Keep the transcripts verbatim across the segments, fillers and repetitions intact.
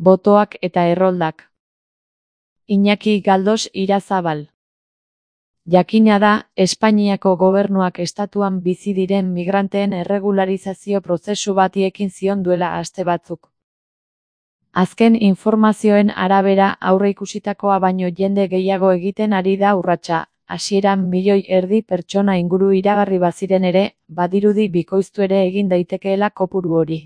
Botoak eta erroldak. Iñaki Galdos Irazabal. Jakina da, Espainiako gobernuak estatuan bizi diren migranteen erregularizazio prozesu bati ekin zion duela aste batzuk. Azken informazioen arabera aurreikusitakoa baino jende gehiago egiten ari da urratsa, hasieran milioi erdi pertsona inguru iragarri baziren ere, badirudi bikoiztu ere egin daitekeela kopuru hori.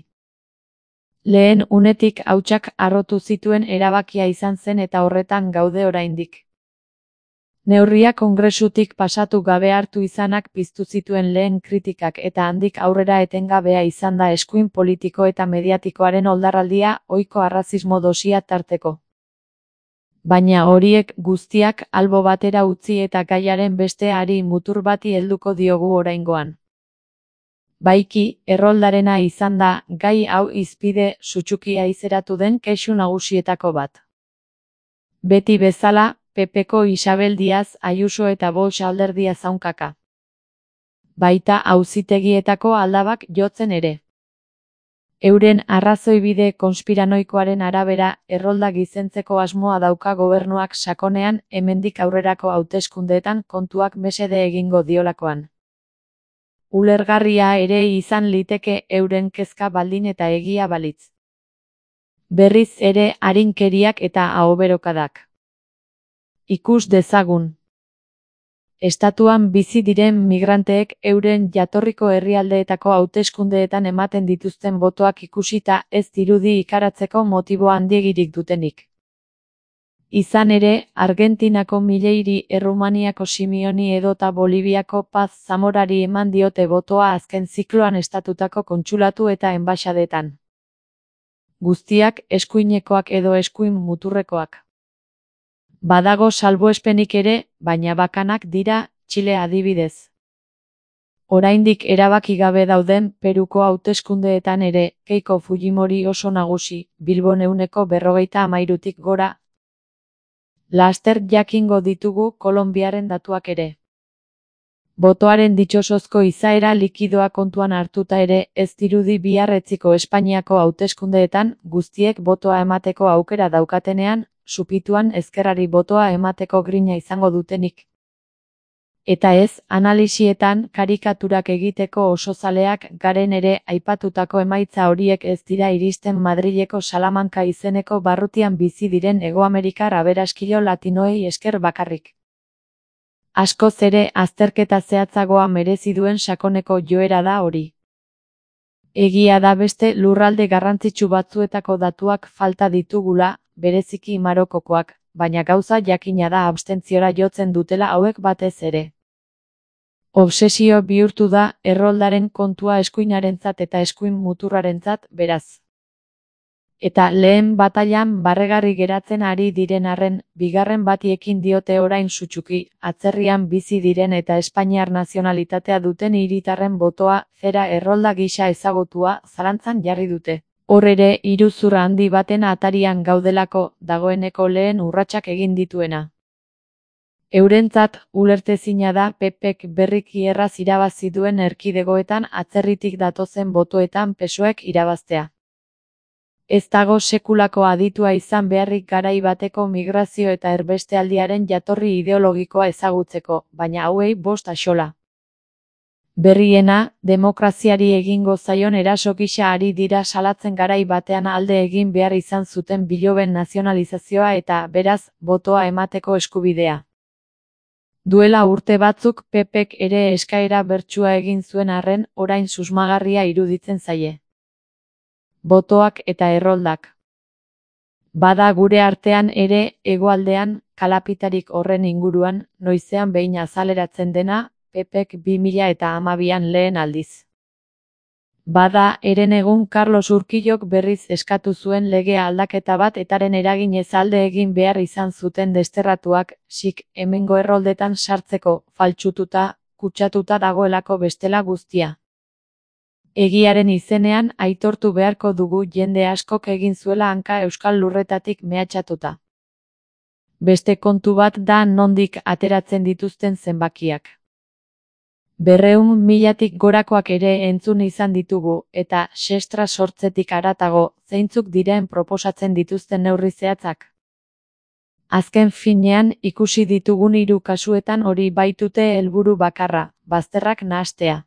Lehen unetik hautsak harrotu zituen erabakia izan zen eta horretan gaude oraindik. Neurria Kongresutik pasatu gabe hartu izanak piztu zituen lehen kritikak eta handik aurrera etengabea izan da eskuin politiko eta mediatikoaren oldarraldia ohiko arrazismo dosia tarteko. Baina horiek guztiak albo batera utzi eta gaiaren beste hari mutur bati helduko diogu oraingoan. Baiki, erroldarena izan da, gai hau hizpide sutsukia izeratu den kexu nagusietako bat. Beti bezala, P Pko Isabel Díaz Ayuso eta Vox alderdia zaunkaka. Baita auzitegietako aldabak jotzen ere. Euren arrazoibide konspiranoikoaren arabera, errolda gizentzeko asmoa dauka gobernuak sakonean hemendik aurrerako hauteskundeetan kontuak mesede egingo diolakoan. Ulergarria ere izan liteke euren kezka baldin eta egia balitz. Berriz ere arinkeriak eta ahoberokadak. Ikus dezagun. Estatuan bizi diren migranteek euren jatorriko herrialdeetako hauteskundeetan ematen dituzten botoak ikusita ez dirudi ikaratzeko motibo handiegirik dutenik. Izan ere, Argentinako Mileiri, Errumaniako Simioni edota Boliviako Paz Zamorari eman diote botoa azken zikloan estatutako kontsulatu eta enbaxadetan. Guztiak eskuinekoak edo eskuin muturrekoak. Badago salbuespenik ere, baina bakanak dira, Txile adibidez. Oraindik erabaki gabe dauden Peruko hauteskundeetan ere, Keiko Fujimori oso nagusi, Bilbon ehuneko berrogeita hamairutik gora. Laster jakingo ditugu Kolonbiaren datuak ere. Botoaren ditxosozko izaera likidoa kontuan hartuta ere, ez dirudi bihar etziko Espainiako hauteskundeetan, guztiek botoa emateko aukera daukatenean, supituan ezkerrari botoa emateko grina izango dutenik. Eta ez, analisietan, karikaturak egiteko oso zaleak garen ere aipatutako emaitza horiek ez dira iristen Madrileko Salamanca izeneko barrutian bizi diren Hegoamerikar aberaskilo latinoei esker bakarrik. Askoz ere azterketa zehatzagoa merezi duen sakoneko joera da hori. Egia da beste lurralde garrantzitsu batzuetako datuak falta ditugula, bereziki Marokokoak, baina gauza jakina da abstentziora jotzen dutela hauek batez ere. Obsesio bihurtu da erroldaren kontua eskuinarentzat eta eskuin muturrarentzat, beraz. Eta lehen batailan barregarri geratzen ari diren arren, bigarren bati ekin diote orain sutsuki, atzerrian bizi diren eta espainiar nazionalitatea duten hiritarren botoa, zera errolda gisa ezagutua, zalantzan jarri dute. Hor ere, iruzur handi baten atarian gaudelako, dagoeneko lehen urratsak egin dituena. Eurentzat, ulertezina da P Pk berriki erraz irabazi duen erkidegoetan atzerritik datozen botoetan P S O Ek irabaztea. Ez dago sekulako aditua izan beharrik garai bateko migrazio eta erbestealdiaren jatorri ideologikoa ezagutzeko, baina hauei bost axola. Berriena, demokraziari egingo zaion eraso gisa ari dira salatzen garai batean alde egin behar izan zuten biloben nazionalizazioa eta, beraz, botoa emateko eskubidea. Duela urte batzuk P Pk ere eskaera bertsua egin zuen arren, orain susmagarria iruditzen zaie. Botoak eta erroldak. Bada gure artean ere, hegoaldean, kalapitarik horren inguruan, noizean behin azaleratzen dena, P Pk bi mila eta hamabian lehen aldiz. Bada, eren egun Carlos Urquillok berriz eskatu zuen lege aldaketa bat etaren eraginez alde egin behar izan zuten desterratuak, sik, hemengo erroldetan sartzeko, faltsututa, kutsatuta dagoelako bestela guztia. Egiaren izenean aitortu beharko dugu jende askok egin zuela hanka euskal lurretatik mehatxatuta. Beste kontu bat da nondik ateratzen dituzten zenbakiak. Berreun milatik gorakoak ere entzun izan ditugu, eta sestra sortzetik haratago, zeintzuk diren proposatzen dituzten neurri zehatzak. Azken finean, ikusi ditugun hiru kasuetan hori baitute helburu bakarra, bazterrak nahastea.